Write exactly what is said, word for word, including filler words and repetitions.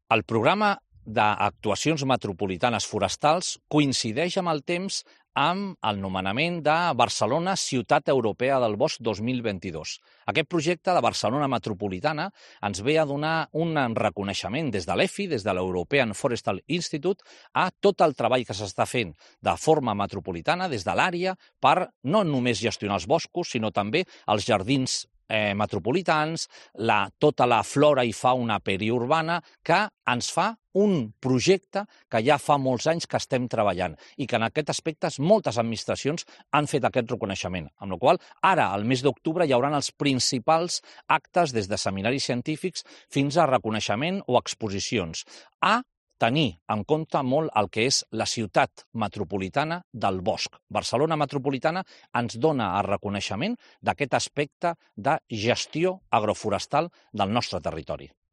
El programa d'actuacions metropolitanes forestals coincideix amb el temps amb el nomenament de Barcelona Ciutat Europea del Bosc dos mil vint-i-dos. Aquest projecte de Barcelona Metropolitana ens ve a donar un reconeixement des de l'E F I, des de l'European Forestal Institute, a tot el treball que s'està fent de forma metropolitana des de l'àrea per no només gestionar els boscos, sinó també els jardins eh, metropolitans, la, tota la flora i fauna periurbana, que ens fa un projecte que ja fa molts anys que estem treballant i que en aquest aspecte moltes administracions han fet aquest reconeixement. Amb la qual cosa, ara, al mes d'octubre, hi haurà els principals actes des de seminaris científics fins a reconeixement o exposicions, a tenir en compte molt el que és la ciutat metropolitana del bosc. Barcelona Metropolitana ens dona el reconeixement d'aquest aspecte de gestió agroforestal del nostre territori.